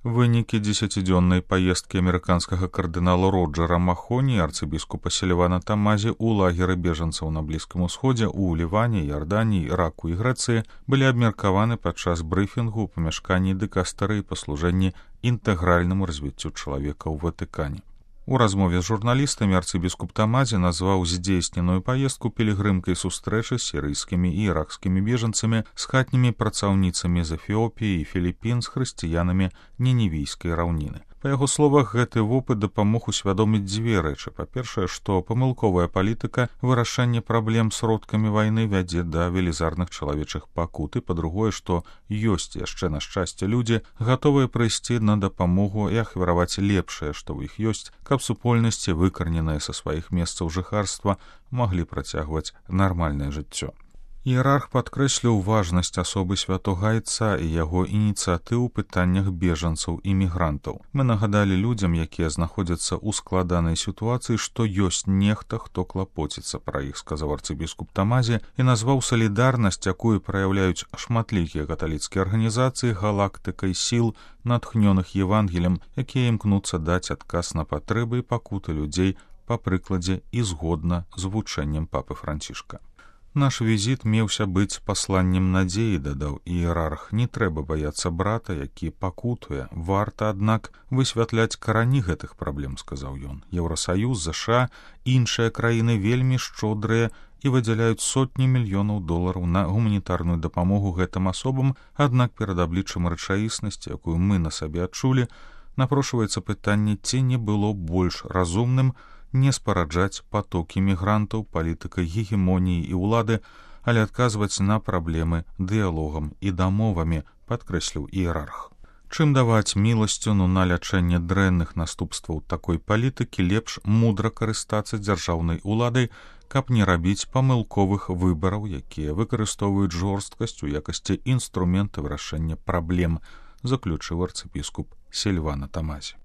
Вынікі 10-дзённай паездкі амерыканскага кардынала Роджера Махоні і арцыбіскупа Сільвана Тамазі ў лагеры бежанцаў на Блізкім Усходзе ў Ліване, Ярданіі, Іраку і Грэцыі былі абмеркаваны падчас брыфінгу ў памяшканні дыкастарыі па служэнні інтэгральнаму развіццю чалавека ў Ватыкане. У размове з журналістамі арцыбіскуп Тамазі назваў здзейсненую паездку пілігрымкай сустрэчы з сірыйскімі і іракскімі бежанцамі, з хатнімі працаўніцамі з Эфіопіі і Філіпін, з хрысціянамі Ніневійскай раўніны. Па яго словах, гэты вопыт дапамог усвядоміць дзве рэчы. Па-першае, што памылковая палітыка вырашэння праблем сродкамі вайны вядзе да велізарных чалавечых пакут, і па-другое, што ёсць яшчэ, на шчасце, людзі, гатовыя прыйсці на дапамогу і ахвяраваць лепшае, што ў іх ёсць, каб супольнасці, выкарненыя са сваіх месцаў жыхарства, маглі працягваць нармальнае жыццё. Іерарх падкрэсліў важнасць асобы святога Айца і яго ініцыятыў у пытаннях бежанцаў і мігрантаў. Мы нагадалі людзям, якія знаходзяцца ў складанай сітуацыі, што ёсць нехта, хто клапоціцца пра іх, сказаў арцыбіскуп Тамазі, і назваў салідарнасць, якую праяўляюць шматлікія каталіцкія арганізацыі, галактыкай сіл, натхнёных Евангелем, якія імкнуцца даць адказ на патрэбы і пакуты людзей па прыкладзе і згодна з вучэннем папы Францішка. Наш візіт меўся быць пасланнем надзеі, дадаў іерарх. Не трэба баяцца брата, які пакутуе. Варта, аднак, высвятляць карані гэтых праблем, сказаў ён. Еўрасаюз, ЗША, іншыя краіны вельмі шчодрыя і выдзяляюць сотні мільёнаў долараў на гуманітарную дапамогу гэтым асобам, аднак перад абліччам рэчаіснасці, якую мы на сабе адчулі, напрошваецца пытанне, ці не было больш разумным не спараджаць патокі мігрантаў палітыкай гегемоніі і ўлады, але адказваць на праблемы дыялогам і дамовамі, падкрэсліў іерарх. Чым даваць міласціну на лячэнне дрэнных наступстваў такой палітыкі, лепш мудра карыстацца дзяржаўнай уладай, каб не рабіць памылковых выбараў, якія выкарыстоўваюць жорсткасць у якасці інструмента вырашэння праблем, заключыў арцыбіскуп Сільвана Тамазі.